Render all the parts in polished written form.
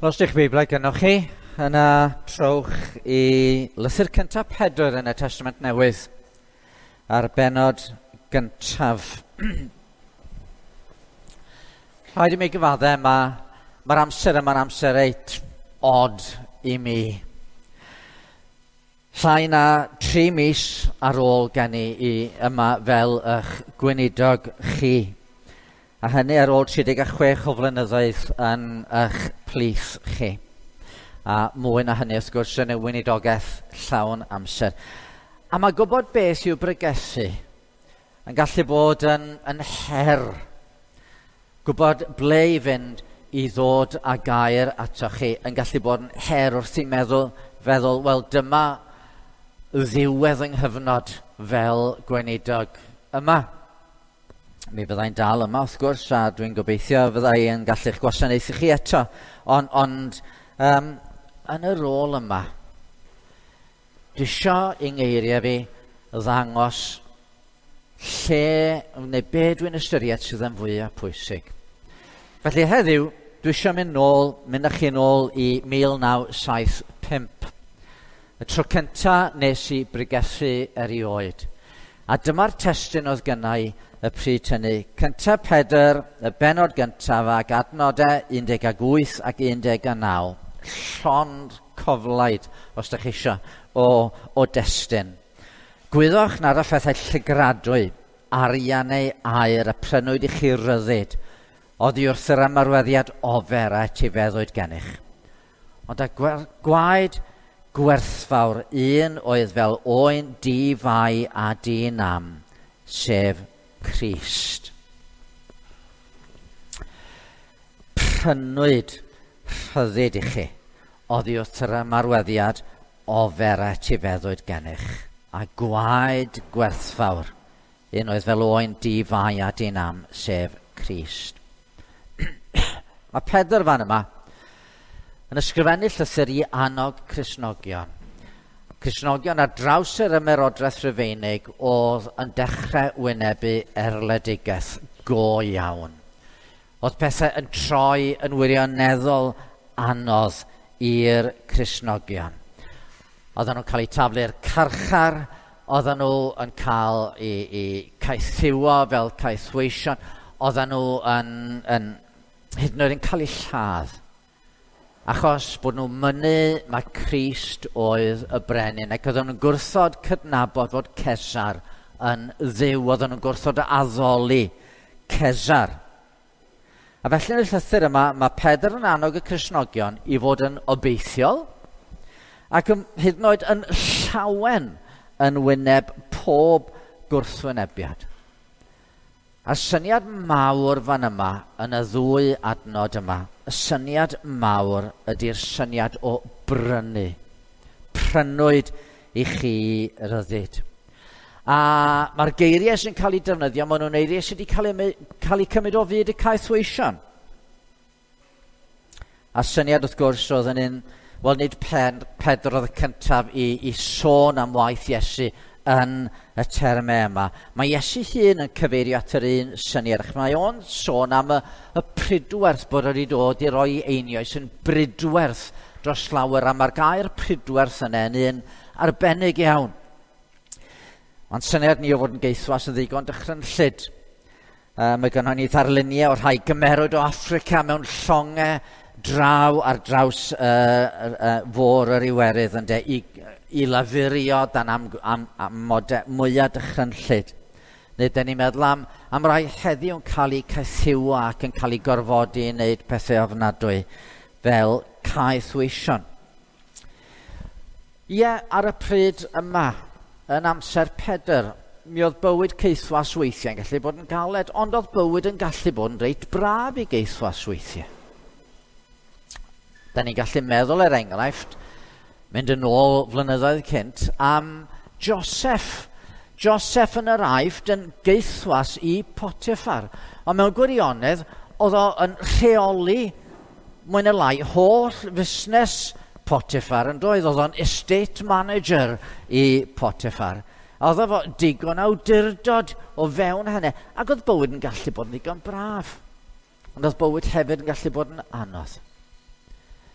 Os ydych Beiblau gynnwch chi, yna trowch i lythyr cyntaf Pedr yn y Testament Newydd a'r bennod gyntaf. Rhaid i mi gyfaddau, mae'r amser yma'n amser reit od i mi. Llai na 3 mis ar ôl geni i yma fel eich gweinidog chi. A hynny ar ôl 36 o flynyddoedd yn eich plith chi. A mwy na hynny wrth gwrs yn y weinidogaeth llawn amser. A mae gwybod beth yw bregethu yn gallu bod yn her. Gwybod ble i fynd i ddod â gair atoch chi yn gallu bod yn her wrth i feddwl, wel dyma ddiwedd yng nghyfnod fel gweinidog yma. Mi fyddai'n dal yma wrth gwrs, a dwi'n gobeithio fyddai yn gallu'ch gwasanaethu chi eto. Ond yn y rôl yma, dwi isio i ngeiriau fi ddangos lle, neu be dwi'n ystyried sydd yn fwyaf pwysig. Felly heddiw, dwi isio mynd â chi nôl i 1975. Y tro cynta nes i bregethu erioed. A dyma'r testun oedd gynna i y pryd hynny. Cynta Pedr, y bennod gyntaf ac adnodau 18 ac 19. Llond coflaid, os ydych chi isio, o destun. Gwyddoch nad y phethau llygradwy, arian neu aur a prynwyd i chi ryddid, oddi wrth yr ymarweddiad ofer a etifeddwyd gennych. Ond a gwaed gwerthfawr un oedd fel oen di-fai a di-nam, sef Crist. Prynwyd rhyddid i chi oddi wrth yr ymarweddiad ofer a etifeddwyd gennych, a gwaed gwerthfawr un oedd fel oen di-fai a di-nam, sef Crist. Mae Pedr fan yma yn ysgrifennu llythyr i annog Cristnogion. Cristnogion ar draws yr ymerodraeth Rufeinig oedd yn dechrau wynebu erledigaeth go iawn. Oedd pethau yn troi yn wirioneddol anodd i'r Cristnogion. Oedden nhw'n cael eu taflu i'r carchar, oedden nhw yn cael eu caethiwo fel caethweision, oedden nhw yn hyd yn oed yn cael eu lladd. Achos bod nhw'n mynnu mai Crist oedd y brenin, ac oedden nhw'n gwrthod cydnabod fod Cesar yn dduw, oedden nhw'n gwrthod addoli Cesar. A felly yn y llythyr yma, mae Pedr yn annog y Cristnogion i fod yn obeithiol ac hyd yn oed yn llawen yn wyneb pob gwrthwynebiad. A'r syniad mawr fan yma, yn y ddwy adnod yma, y syniad mawr ydy'r syniad o brynu. Prynwyd i chi ryddid. A mae'r geiriau sy'n cael eu defnyddio, maen nhw'n eiriau sydd wedi cael eu cymryd o fyd y caethweision. A syniad wrth gwrs oedd yn un, wel nid Pedr oedd y cyntaf i sôn am waith Iesu yn y termau yma. Mae Iesu hun yn cyfeirio at yr un syniad, ac mae o'n sôn am y pridwerth bod wedi dod i roi einioes yn bridwerth dros lawer, a mae'r gair pridwerth yna yn un arbennig iawn. Mae'n syniad ni o fod yn geithwas yn ddigon dychrynllyd. Mae gynnon ni ddarluniau o'r rhai gymerwyd o Affrica mewn llongau draw ar draws fôr yr Iwerydd ynde, i lafurio dan amodau mwyaf dychrynllyd. Neu dyn ni'n meddwl am rai heddiw yn cael eu caethiwo ac yn cael eu gorfodi i wneud pethau ofnadwy fel caethweision. Ie, ar y pryd yma, yn amser Pedr, mi oedd bywyd caethwas weithiau yn gallu bod yn galed, ond oedd bywyd yn gallu bod yn reit braf i gaethwas weithiau. Da ni'n gallu meddwl, er enghraifft, mynd yn ôl flynyddoedd cynt, am Joseph. Joseph yn yr Aifft yn geithwas i Potiphar. Ond mewn gwirionedd, oedd o yn rheoli mwy neu lai holl fusnes Potiphar yn doedd. Oedd o'n estate manager i Potiphar. A oedd o digon awdurdod o fewn hynny. Ac oedd bywyd yn gallu bod yn ddigon braf. Ond oedd bywyd hefyd yn gallu bod yn anodd.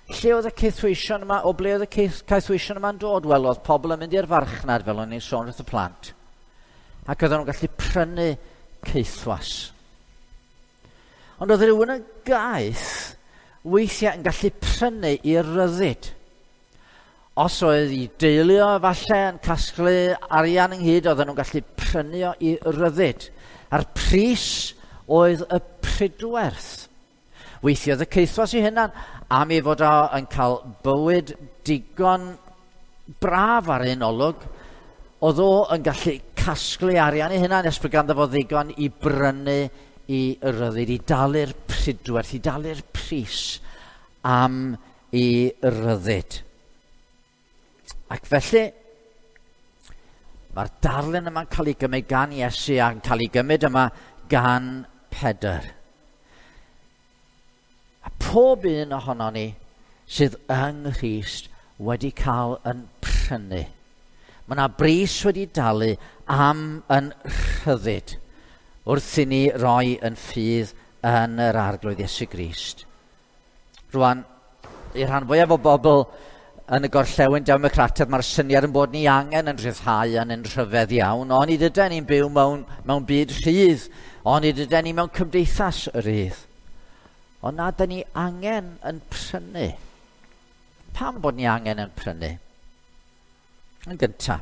Lle oedd y caethweision yma, o ble oedd y caethweision yma'n dod? Wel, oedd pobl yn mynd i'r farchnad, fel o'n i'n sôn wrth y plant. Ac oedden nhw'n gallu prynu caethwas. Ond oedd rhywun yn gaeth weithiau yn gallu prynu i ryddid. Os oedd i deulu o falle yn casglu arian ynghyd, oedden nhw'n gallu prynu o i ryddid. A'r pris oedd y pridwerth. Weithiodd y caethwas i hunan am ei fod o yn cael bywyd digon braf ar un olwg, oedd o yn gallu casglu arian ei hunan nes bod ganddo fo ddigon i brynu i ryddid, i dalu'r pridwerth, i dalu'r pris am i ryddid. Ac felly, mae'r darlun yma'n cael ei gymryd gan Iesu a'n cael ei gymryd yma gan Pedr. A pob un ohonon ni sydd yng Nghrist wedi cael yn prynu. Mae yna bris wedi dalu am yn rhyddid wrth i ni roi yn ffydd yn yr Arglwydd Iesu Grist. Rwan, i'r rhan fwyaf o bobl yn y gorllewin democrataidd, mae'r syniad yn bod ni angen yn rhyddhau yn yn rhyfedd iawn, ond nid ydyn ni'n byw mewn byd rhydd, ond nid ydyn ni mewn cymdeithas rydd. Ond na, dyn ni angen yn prynu. Pam bod ni angen yn prynu? Yn gyntaf,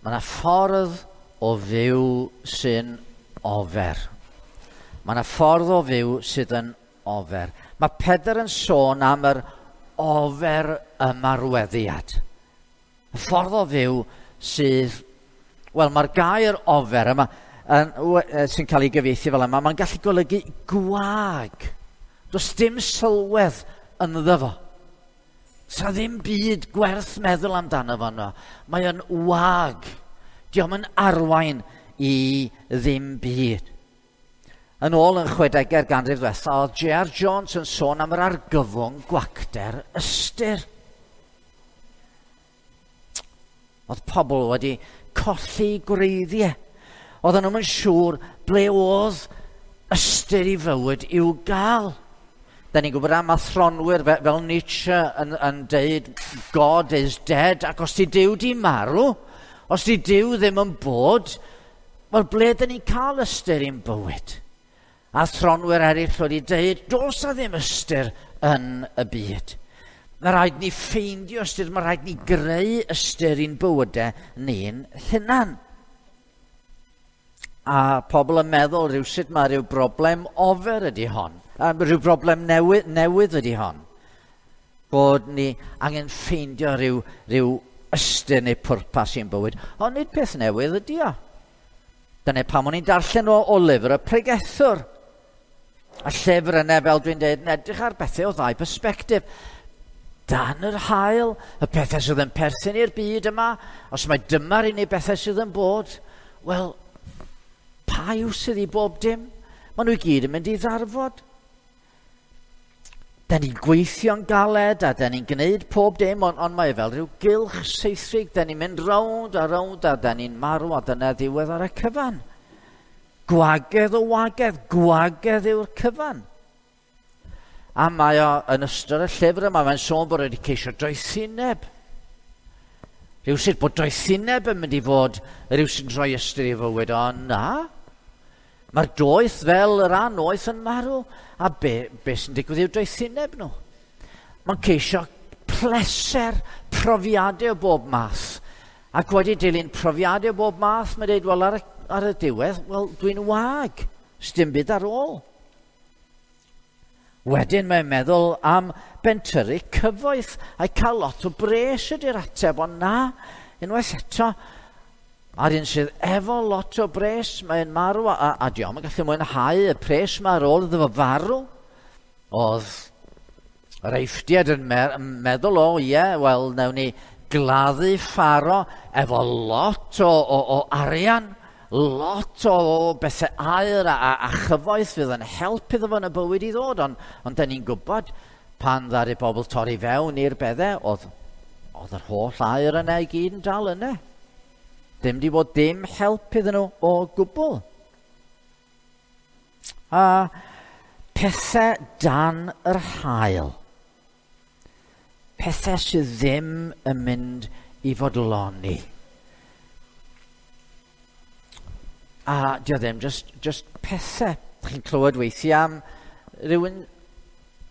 mae yna ffordd o fyw sy'n ofer. Mae yna ffordd o fyw sydd yn ofer. Mae Pedr yn sôn am yr ofer ymarweddiad. Y ffordd o fyw sydd... Wel, mae'r gair ofer yma sy'n cael ei gyfieithu fel yma, mae'n gallu golygu gwag. Does dim sylwedd ynddo fo. Sa ddim byd gwerth meddwl amdano fo yno. Mae o'n wag. Dio'm yn arwain i ddim byd. Yn ôl yn 60au'r ganrif ddiwetha, oedd J.R. Jones yn sôn am yr argyfwng gwacter ystyr. Oedd pobl wedi colli gwreiddiau. Oedden nhw'n siŵr ble oedd ystyr i fywyd i'w gael. Da ni'n gwybod am athronwyr fel Nietzsche yn deud God is dead, ac os di Duw di marw, os di Duw ddim yn bod, wel ble da ni'n cael ystyr i'n bywyd? Athronwyr eraill wedi deud, does na ddim ystyr yn y byd. Mae rhaid ni ffeindio ystyr, mae rhaid ni greu ystyr i'n bywydau ni'n hunan. A pobl yn meddwl rhywsut mae rhyw broblem ofer ydy hon. A rhyw broblem newydd ydy hon. Bod ni angen ffeindio rhyw ystyr neu pwrpas i'n bywyd. Ond nid peth newydd ydy o. Dyna pam o'n i'n darllen o lyfr y Pregethwr. A llyfr yna, fel dwi'n dweud, yn edrych ar bethau o ddau perspectif. Dan yr haul, y pethau sydd yn perthyn i'r byd yma, os mae dyma'r unig bethau sydd yn bod, wel, pa yw sydd i bob dim? Maen nhw i gyd yn mynd i ddarfod. Da ni'n gweithio'n galed a da ni'n gwneud pob dim, ond mae fel rhyw gylch seithrig. Da ni'n mynd rownd a rownd a da ni'n marw a dyna ddiwedd ar y cyfan. Gwagedd o wagedd, gwagedd yw'r cyfan. A mae o yn ystod y llyfr yma, mae'n sôn bod wedi ceisio doethineb. Rhywsut bod doethineb yn mynd i fod rhywsut yn rhoi ystyr i fywyd, ond na. Mae'r doeth fel yr anoeth yn marw, a be sy'n digwydd i'w doethineb nhw? Mae'n ceisio pleser, profiadau o bob math. Ac wedi dilyn profiadau o bob math, mae'n dweud, wel, ar y diwedd, wel, dwi'n wag, sdim byd ar ôl. Wedyn mae'n meddwl am bentyrru cyfoeth a'i cael lot o bres ydy'r ateb, ond na, unwaith eto, a'r un sydd efo lot o bres, mae'n marw, a dio'm yn gallu mwynhau y pres yma ar ôl iddo fo farw. Oedd yr Eifftiaid yn meddwl, o ie, wel, nawn ni gladdu Pharo efo lot o arian, lot o bethau aur a chyfoeth fydd yn help iddo fo yn y bywyd i ddod, ond da ni'n gwybod pan ddaru bobl torri fewn i'r beddau, oedd yr holl aur yna i gyd yn dal yna. Dim di bod dim help iddyn nhw o gwbl. A pethau dan yr haul. Pethau sydd ddim yn mynd i fodloni. A dio ddim, just pethau. Chi'n clywed weithiau am rhywun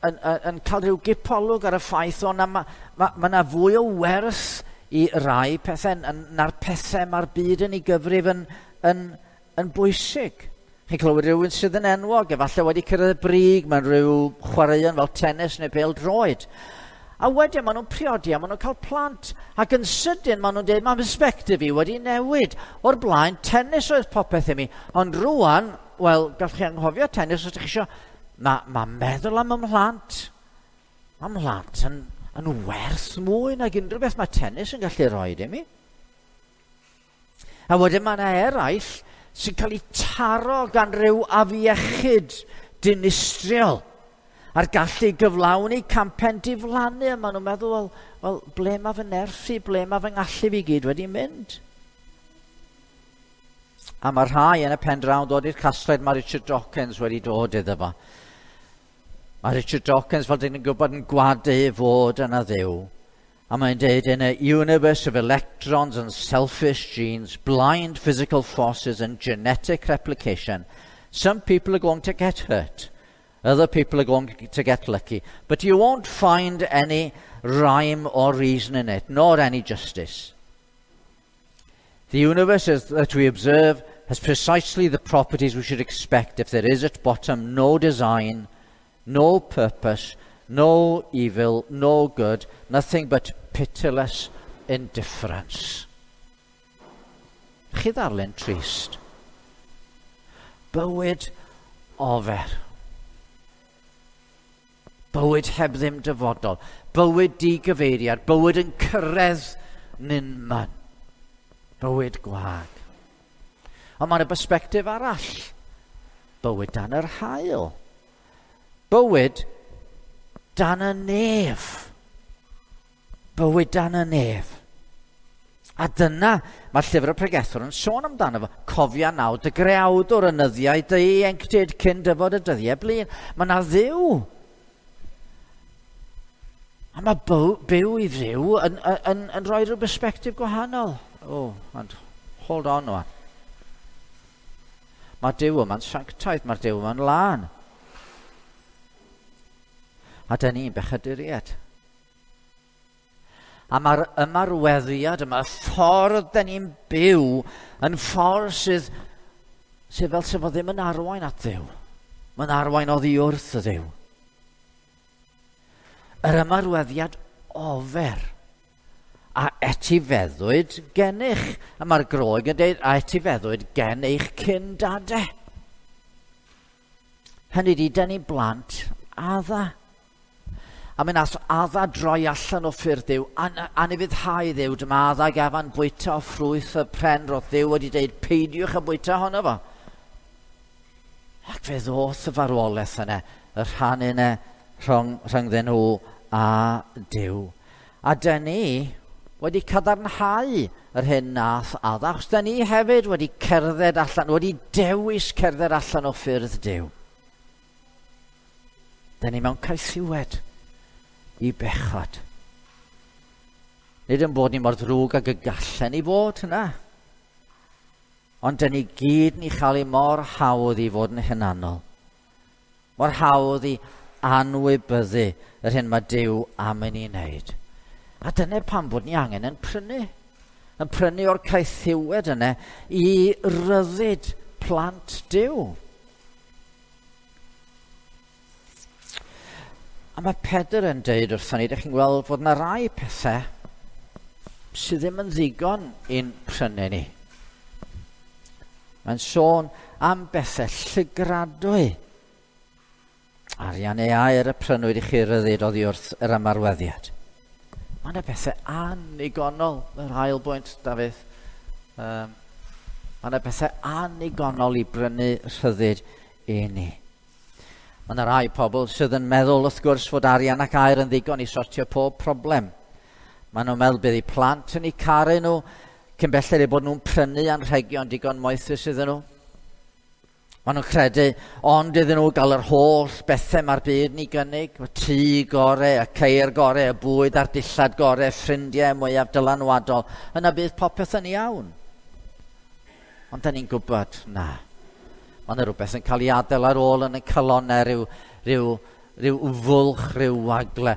yn cael rhyw gipolwg ar y ffaith o na ma 'na fwy o werth i rai pethau na'r pethau mae'r byd yn ei gyfrif yn bwysig. Chi'n clywed rhywun sydd yn enwog, efallai wedi cyrraedd y brig mewn rhyw chwaraeon fel tennis neu bêl-droed. A wedyn maen nhw'n priodi a maen nhw'n cael plant. Ac yn sydyn maen nhw'n dweud, mae perspective i wedi newid. O'r blaen, tennis oedd popeth i mi. Ond rwan, wel, gallwch chi anghofio tennis os ydych chi eisiau. Mae meddwl am ymhlant. Mae mhlant yn werth mwy nag unrhyw beth mae tennis yn gallu rhoi i mi. A wedyn mae yna eraill sy'n cael eu taro gan ryw afiechyd dinistriol a'r gallu gyflawni campen diflannu. A maen nhw'n meddwl, wel, ble mae fy nerth i, ble mae fy ngallu fi gyd wedi mynd? A mae rhai yn y pen draw yn dod i'r casgliad mae Richard Dawkins wedi dod iddo fo. Mae Richard Dawkins, fel dyn ni'n gwybod, yn gwadu fod yna Dduw. A mae'n dweud, in a universe of electrons and selfish genes, blind physical forces and genetic replication, some people are going to get hurt. Other people are going to get lucky. But you won't find any rhyme or reason in it, nor any justice. The universe that we observe has precisely the properties we should expect if there is at bottom no design, no purpose, no evil, no good, nothing but pitiless indifference. Chi ddarllen trist. Bywyd ofer. Bywyd heb ddim dyfodol. Bywyd digyfeiriad. Bywyd yn cyrraedd nunman. Bywyd gwag. Ond mae'n y perspectif arall. Bywyd dan yr haul. Bywyd dan y nef. Bywyd dan y nef. A dyna mae llyfr y pregethwr yn sôn amdano fo. Cofia nawr dy greawdwr yn nyddiau dy ieuenctid cyn dyfod y dyddiau blin. Mae yna Dduw. A mae byw i Dduw yn rhoi rhyw perspectif gwahanol. Oh, and hold on wan. Mae Duw yma'n sanctaidd, mae'r Duw yma'n lân. A dyn ni'n bechaduriaid. A mae'r ymarweddiad yma, y ffordd dyn ni'n byw, yn ffordd sydd fel sef o ddim yn arwain at Dduw. Mae'n arwain oddi wrth y Dduw. Yr ymarweddiad ofer a etifeddwyd gennych. A mae'r Groeg yn dweud, a etifeddwyd gen eich cyndadau. Hynny di, dyn ni blant Adda. A mi nath Adda droi allan o ffyrdd Duw, anufuddhau Dduw, dyma Adda gafan bwyta o ffrwyth y pren roedd Dduw wedi dweud, peidiwch a bwyta honno fo. Ac fe ddoth y farwolaeth yna, y rhan yna rhyngddyn nhw a Duw. A dyn ni wedi cadarnhau yr hyn nath Adda, achos dyn ni hefyd wedi cerdded allan, wedi dewis cerdded allan o ffyrdd Duw. Dyn ni mewn caethiwed i bechod. Nid yn bod ni mor ddrwg ag y gallen ni fod yna. Ond dyn ni gyd ni chael ei mor hawdd i fod yn hunanol. Mor hawdd i anwybyddu yr hyn mae Duw am i ni wneud. A dyna pam bod ni angen yn prynu. Yn prynu o'r caethiwed yna i ryddid plant Duw. A mae Pedr yn deud wrthon ni, ydych chi'n gweld fod yna rai pethau sydd ddim yn ddigon i'n prynu ni. Mae'n sôn am bethau llygradwy. Arian neu aur y prynwyd i chi ryddid oddi wrth yr ymarweddiad. Mae yna bethau annigonol, yr ail bwynt, Dafydd. Mae yna bethau annigonol i brynu rhyddid i ni. Mae yna rai pobl sydd yn meddwl, wrth gwrs, fod arian ac aur yn ddigon i sortio pob problem. Maen nhw'n meddwl bydd eu plant yn eu caru nhw, cyn belled eu bod nhw'n prynu anrhegion digon moethus iddyn nhw. Maen nhw'n credu, ond iddyn nhw gael yr holl bethau mae'r byd ni gynnig, y tŷ gore, y ceir gore, y bwyd a'r dillad gore, ffrindiau mwyaf dylanwadol, yna bydd popeth yn iawn. Ond da ni'n gwybod, na. Mae yna rhywbeth yn cael ei adael ar ôl yn y calonau, rhyw fwlch, rhyw wagle.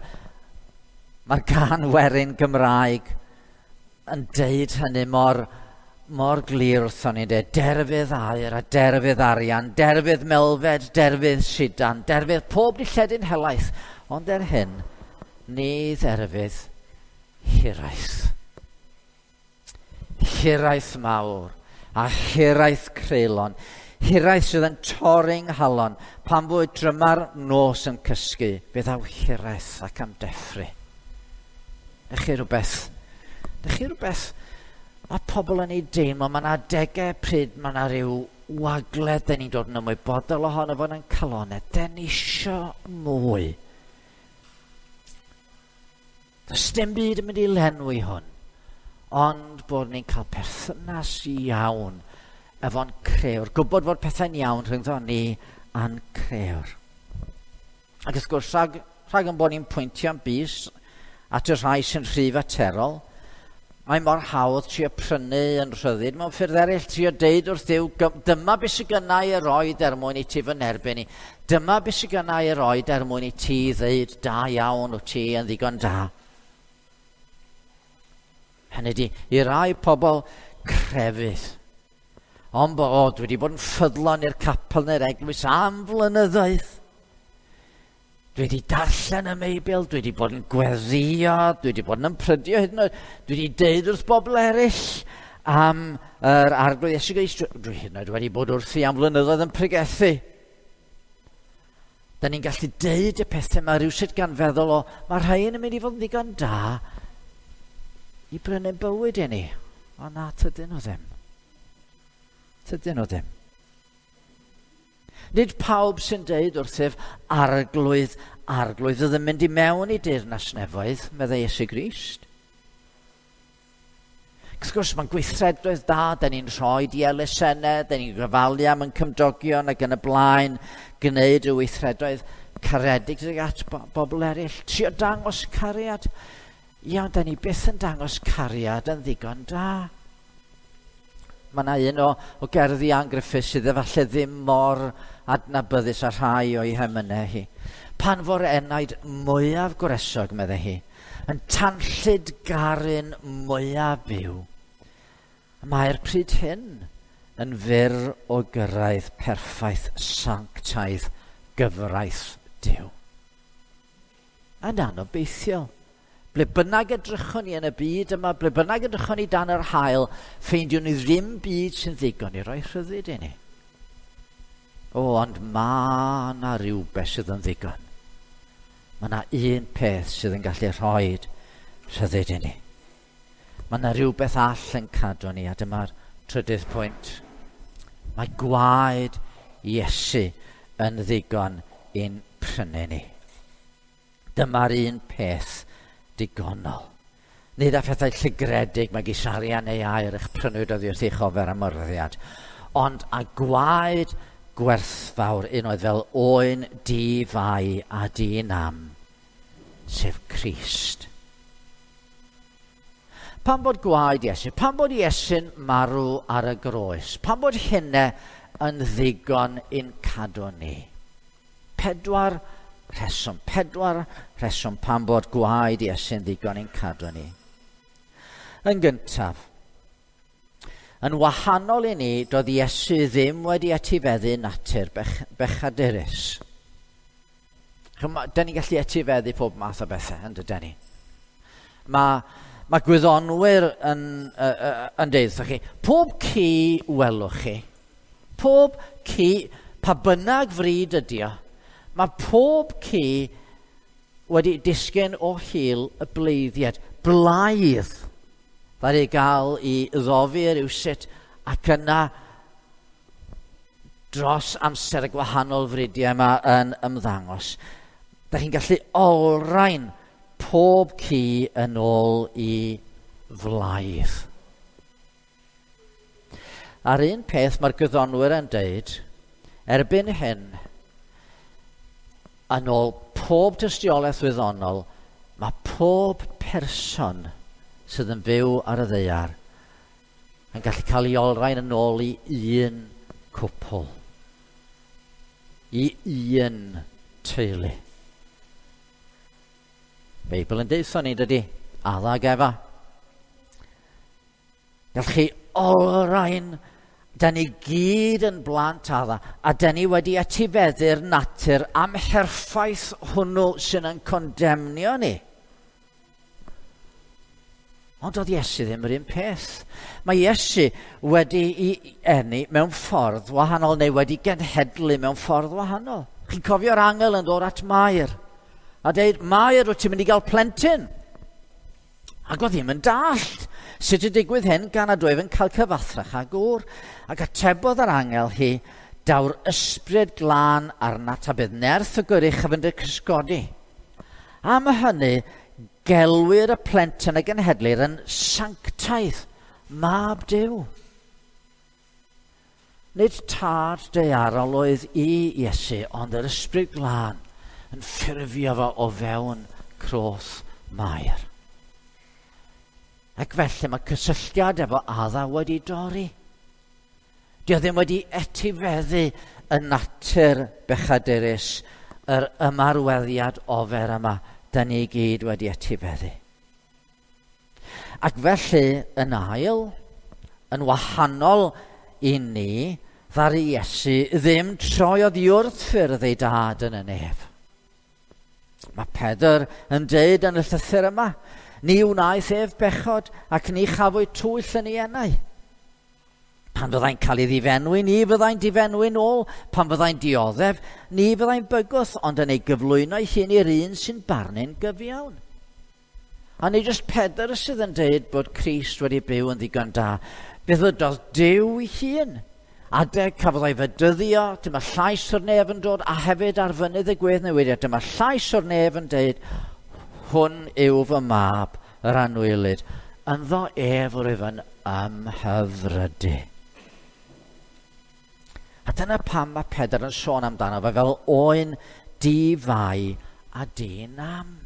Mae'r gân werin Gymraeg yn deud hynny mor glir wrthon ni, de. Derfydd aur a derfydd arian, derfydd melfed, derfydd sidan, derfydd pob dilledyn helaeth, ond er hyn, ni dderfydd hiraeth. Hiraeth mawr a hiraeth creulon, hiraeth sydd yn torri'n nghalon, pan fwy dryma'r nos yn cysgu, fe ddaw hiraeth ac am deffru. Ydych chi rhywbeth mae pobl yn ei deimlo, mae yna adegau pryd mae yna rhyw wagle, dyn ni'n dod yn ymwybodol ohono fo yn calonau, dyn ni isio mwy. Does dim byd yn mynd i lenwi hwn, ond bod ni'n cael perthynas iawn efo'n crëwr, gwybod fod pethau'n iawn rhyngddo ni a'n crëwr. Ac wrth gwrs, rhag yn bod ni'n pwyntio'n bys at y rhai sy'n rhy faterol, mae mor hawdd trio prynu yn rhyddid mewn ffyrdd eraill, trio deud wrth Dduw, dyma beth sydd gynna i roed er mwyn i ti fy nerbyn i. Dyma beth sydd gynna i roed er mwyn i ti ddeud da iawn wyt ti yn ddigon da. Hynny ydi, i rai pobl crefydd, ond bod wedi bod yn ffyddlon i'r capel neu'r eglwys am flynyddoedd. Dwi wedi darllen y Meibl, dwi wedi bod yn gweddïo, dwi wedi bod yn ymprydio hyd yn oed, dwi wedi deud wrth bobl eraill am yr Arglwydd Iesu Grist, dwi hyd yn oed wedi bod wrthi am flynyddoedd yn pregethu. Da ni'n gallu deud y pethau yma rhywsut gan feddwl o, mae rhai yn mynd i fod yn ddigon da i brynu bywyd i ni. O na, tydyn nhw ddim. Tydyn nhw ddim. Nid pawb sy'n deud wrthyf, Arglwydd, Arglwydd, oedd yn mynd i mewn i deyrnas nefoedd, meddai Iesu Grist. Wrth gwrs, mae'n gweithredoedd da, da ni'n rhoi i elusennau, da ni'n gofalu am yn cymdogion ac yn y blaen, gwneud y weithredoedd caredig tuag at bobl eraill, trio dangos cariad. Iawn, da ni byth yn dangos cariad yn ddigon da. Mae yna un o gerddi Ann Griffiths sydd efallai ddim mor adnabyddus â rhai o'i hemynau hi. Pan fo'r enaid mwyaf gwresog, meddai hi, yn tanllyd garu'n mwyaf byw, mae'r pryd hyn yn fyr o gyrraedd perffaith sanctaidd gyfraith Duw. Yn anobeithiol. Ble bynnag edrychwn ni yn y byd yma, ble bynnag edrychwn ni dan yr haul, ffeindiwn ni ddim byd sy'n ddigon i roi rhyddid i ni. O, ond mae yna rhywbeth sydd yn ddigon. Mae yna un peth sydd yn gallu rhoi rhyddid i ni. Mae yna rhywbeth all yn cadw ni, a dyma'r trydydd pwynt. Mae gwaed Iesu yn ddigon i'n prynu ni. Dyma'r un peth digonol. Nid â phethau llygredig megis arian neu aur eich prynwyd oddi wrth eich ofer am ymroddiad, ond â gwaed gwerthfawr un oedd fel oen di-fai a di-nam, sef Crist. Pan bod gwaed Iesu, pan bod Iesu'n marw ar y groes, pan bod hynna yn ddigon i'n cadw ni. Pedwar rheswm pan bod gwaed Iesu'n ddigon i'n cadw ni. Yn gyntaf, yn wahanol i ni, doedd Iesu ddim wedi etifeddu natur bechadurus. Da ni'n gallu etifeddu pob math o bethau, yn dydyn ni. Mae gwyddonwyr yn deud wrthych chi, pob ci welwch chi, pob ci, pa bynnag fryd ydi o, mae pob ci wedi disgyn o hil y bleiddiad, blaidd, ddaru gael i ddofi rywsut ac yna dros amser y gwahanol fridiau yma yn ymddangos. Da chi'n gallu olrhain pob ci yn ôl i flaidd. A'r un peth mae'r gwyddonwyr yn deud Erbyn hyn, yn ôl pob tystiolaeth wyddonol, mae pob person sydd yn byw ar y ddaear yn gallu cael ei olrhain yn ôl i un cwpl, i un teulu. Beibl yn deutha ni, dydy? Adda ag Efa. Gallwch chi olrhain, da ni gyd yn blant Adda, a da ni wedi etifeddu'r natur amherffaith hwnnw sy'n yn condemnio ni. Ond oedd Iesu ddim yr un peth. Mae Iesu wedi ei eni mewn ffordd wahanol, neu wedi genhedlu mewn ffordd wahanol. Chi'n cofio'r angel yn dod at Mair a deud, "Mair, wyt ti'n mynd i gael plentyn?" Ac oedd ddim yn dallt sut y digwydd hyn gan nad oedd yn cael cyfathrach â gŵr. Ac atebodd yr angel hi, "Daw'r ysbryd glân arnat a bydd nerth y Goruchaf yn dy cysgodi. Am hynny, gelwir y plentyn a genhedlir yn sanctaidd, mab Duw." Nid tad daearol oedd i Iesu, ond yr ysbryd glân yn ffurfio fo o fewn croth Mair. Ac felly mae cysylltiad efo Adda wedi dorri. Dio ddim wedi etifeddu y natur bechadurus, yr ymarweddiad ofer yma, da ni gyd wedi etifeddu. Ac felly, yn ail, yn wahanol i ni, ddaru Iesu ddim troi oddi wrth ffyrdd ei dad yn y nef. Mae Pedr yn deud yn y llythyr yma, "Ni wnaeth ef bechod ac ni chafwyd twyll yn ei enau. Pan fyddai'n cael ei ddifenwi, ni fyddai'n difenwi'n ôl. Pan fyddai'n dioddef, ni fyddai'n bygwth, ond yn ei gyflwyno ei hun i'r un sy'n barnu'n gyfiawn." A nid jyst Pedr sydd yn deud bod Crist wedi byw yn ddigon da. Fe ddydodd Duw ei hun. Adeg cafodd ei fedyddio, dyma llais o'r nef yn dod, a hefyd ar fynydd y gweddnewidiad, dyma llais o'r nef yn deud, "Hwn yw fy mab, yr anwylyd, ynddo ef rwyf yn ymhyfrydu." A dyna pam mae Pedr yn sôn amdano fe fel oen di-fai a di-nam.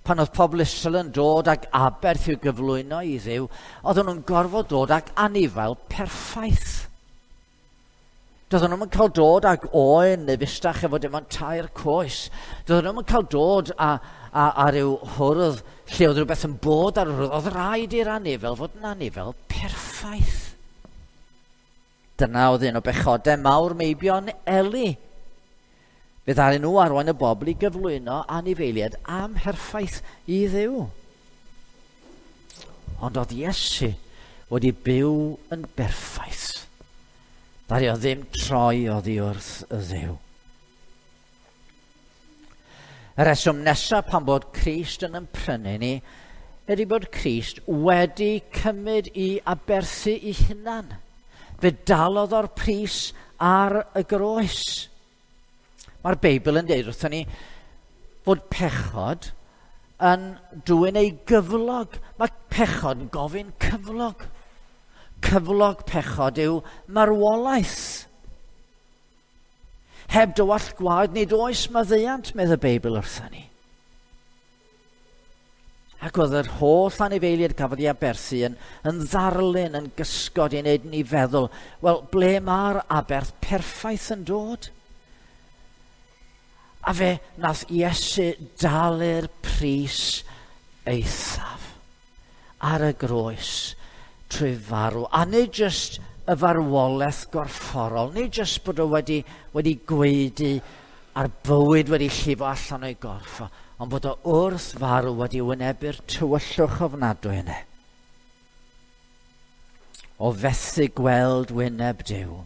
Pan oedd pobl Israel yn dod ag aberth i'w gyflwyno i Dduw, oedden nhw'n gorfod dod ag anifail perffaith. Doedden nhw'n cael dod ag oen neu fustach efo dim ond 3 coes. Doedden nhw'n cael dod a ryw hwrdd lle oedd rhywbeth yn bod ar yr hwrdd. Oedd rhaid i'r anifail fod yn anifail perffaith. Dyna oedd un o bechodau mawr meibion Eli. Fe ddaru nhw arwain y bobl i gyflwyno anifeiliaid amherffaith i Dduw. Ond oedd Iesu wedi byw yn berffaith. Ddaru o ddim troi oddi wrth y Dduw. Y reswm nesaf pan bod Crist yn ymprynu ni ydy bod Crist wedi cymryd i aberthu ei hunan. Fe dalodd o'r pris ar y groes. Mae'r Beibl yn deud wrthon ni fod pechod yn dwyn ei gyflog. Mae pechod yn gofyn cyflog. Cyflog pechod yw marwolaeth. Heb dywallt gwaed nid oes maddeuant, medd y Beibl wrthon ni. Ac oedd yr holl anifeiliaid cafodd ei aberthu yn ddarlun, yn gysgod i wneud ni feddwl, wel, ble mae'r aberth perffaith yn dod? A fe nath Iesu dalu'r pris eithaf ar y groes trwy farw. A nid jyst y farwolaeth gorfforol, nid jyst bod o wedi gwaedu a'r bywyd wedi llifo allan o'i gorff, ond bod o wrth farw wedi wynebu'r tywyllwch ofnadwy yna. O fethu gweld wyneb Duw,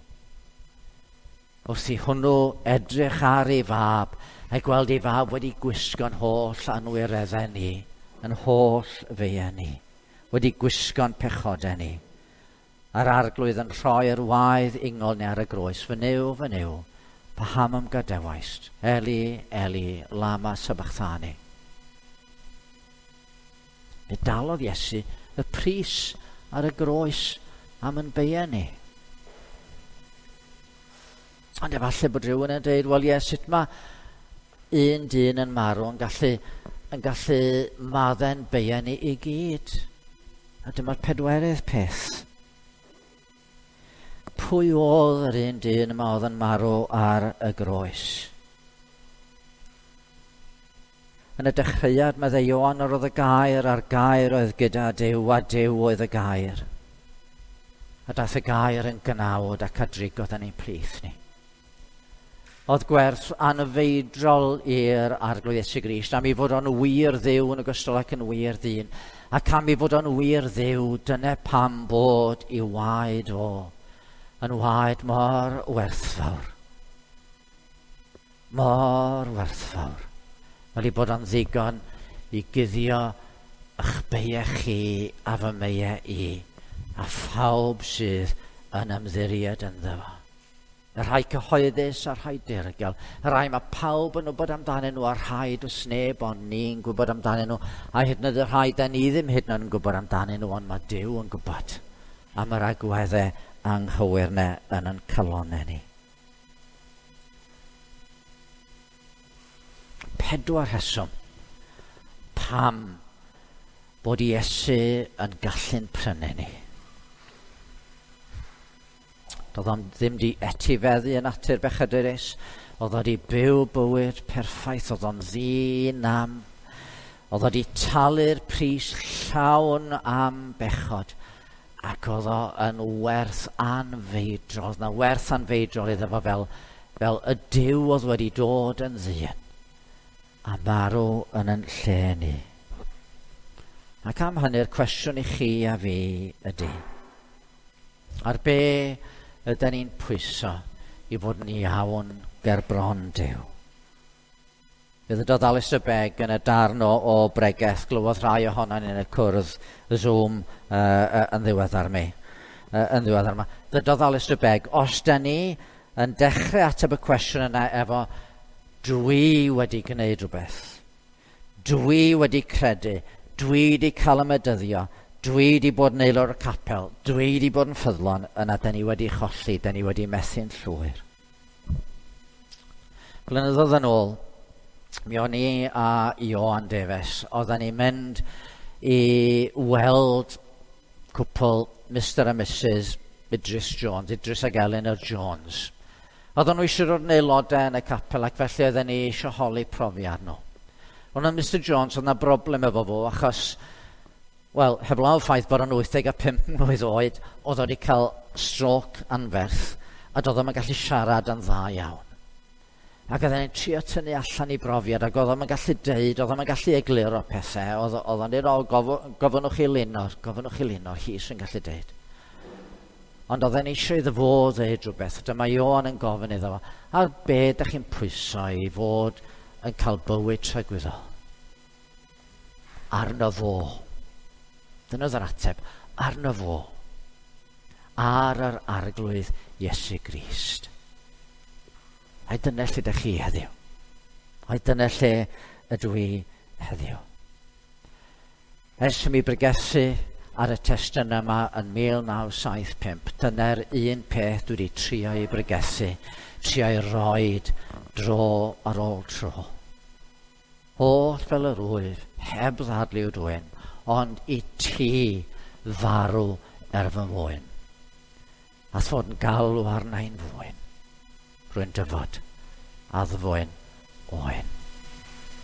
wrth i hwnnw edrych ar ei fab, a gweld ei fab wedi gwisgo'n holl anwireddau ni, yn holl feiau ni, wedi gwisgo'n pechodau ni. A'r Arglwydd yn rhoi'r waedd ingol ni ar y groes, "Fy Nuw, fy Nuw, paham a'm gadawaist? Eli, Eli, lama sabachthani." Fe dalodd Iesu y pris ar y groes am yn beiau ni. Ond efallai bod rhywun yn dweud, wel ie, sut mae un dyn yn marw yn gallu maddau'n beiau ni i gyd? A dyma'r pedwerydd peth. Pwy oedd yr un dyn yma oedd yn marw ar y groes? Yn y dechreuad, meddai Ioan, yr oedd y gair, a'r gair oedd gyda Duw, a Duw oedd y gair. A daeth y gair yn gnawd ac a drigodd yn ein plith ni. Oedd gwerth anfeidrol i'r Arglwydd Iesu Grist, am ei fod o'n wir Dduw yn ogystal ac yn wir ddyn. Ac am ei fod o'n wir Dduw, dyna pam bod ei waed o yn waed mor werthfawr. Mor werthfawr. Fel ei bod o'n ddigon i guddio eich beiau chi a fy meiau i, a phawb sydd yn ymddiried ynddo fo. Y rhai cyhoeddus a'r rhai dirgel. Y rhai mae pawb yn wybod amdanyn nhw, a'r rhai does neb ond ni'n gwybod amdanyn nhw. A hyd yn oed y rhai da ni ddim hyd yn oed yn gwybod amdanyn nhw, ond mae Duw yn gwybod am yr agweddau anghywir 'na yn ein calonnau ni. 4 rheswm pam bod Iesu yn gallu'n prynu ni. Doedd o'n ddim di etifeddu yn natur bechadurus, oedd o di byw bywyd perffaith, oedd o'n ddi-nam, oedd o di talu'r pris llawn am bechod, ac oedd o yn werth anfeidrol, oedd 'na werth anfeidrol iddo fo fel y Duw oedd wedi dod yn ddyn a marw yn ein lle ni. Ac am hynny'r cwestiwn i chi a fi ydy, ar be ydyn ni'n pwyso i fod yn iawn ger bron Duw? Fe ddydodd Alistair Begg yn y darn o bregeth, glywodd rhai ohonon ni yn y cwrdd Zoom yn ddiweddar mi. Yn ddiweddar yma. Ddydodd Alistair Begg, os da ni yn dechrau ateb y cwestiwn yna efo dwi wedi gwneud rhywbeth, dwi wedi credu, dwi wedi cael y medyddio, dwi wedi bod yn aelod o'r capel, dwi wedi bod yn ffyddlon, yna da ni wedi cholli, da ni wedi methu'n llwyr. Blynyddoedd yn ôl, mi o'n i a Ioan Davies, oedden ni'n mynd i weld cwpl Mr a Mrs Idris Jones, Idris ag Eleanor Jones. Oedden nhw eisiau dod yn aelodau yn y capel ac felly oedden ni eisiau holi profiad nhw. Ond oedd Mr Jones, oedd yna broblem efo fo, achos, wel, heblaw ffaith bod o'n 85 mlwydd oed, oedd o wedi cael stroke anferth, a doedd o'm yn gallu siarad yn dda iawn. Ac oedden ni'n trio tynnu allan i brofiad, ac oedd o'm yn gallu deud, oedd o'm yn gallu egluro pethau, oedd o'n deud, o, gofynnwch i Linor, gofynnwch i Linor, hi sy'n gallu deud. Ond oedden ni eisiau iddo fo ddeud rhywbeth, dyma Ioan yn gofyn iddo fo, ar be dach chi'n pwyso i fod yn cael bywyd tragwyddol? Arno fo. Dyna oedd yr ateb, arno fo. Ar yr Arglwydd Iesu Grist. Ai dyna lle ydych chi heddiw? Ai dyna lle ydw i heddiw? Ers i mi bregethu ar y testun yma yn 1975, dyna'r un peth dwi wedi trio i bregethu, trio i roed dro ar ôl tro. Holl fel yr wyf, heb ddadlu dwyn, ond i ti farw er fy mwyn. A fod yn galw arna i'n fwyn, rwy'n dyfod a ddfwyn oen.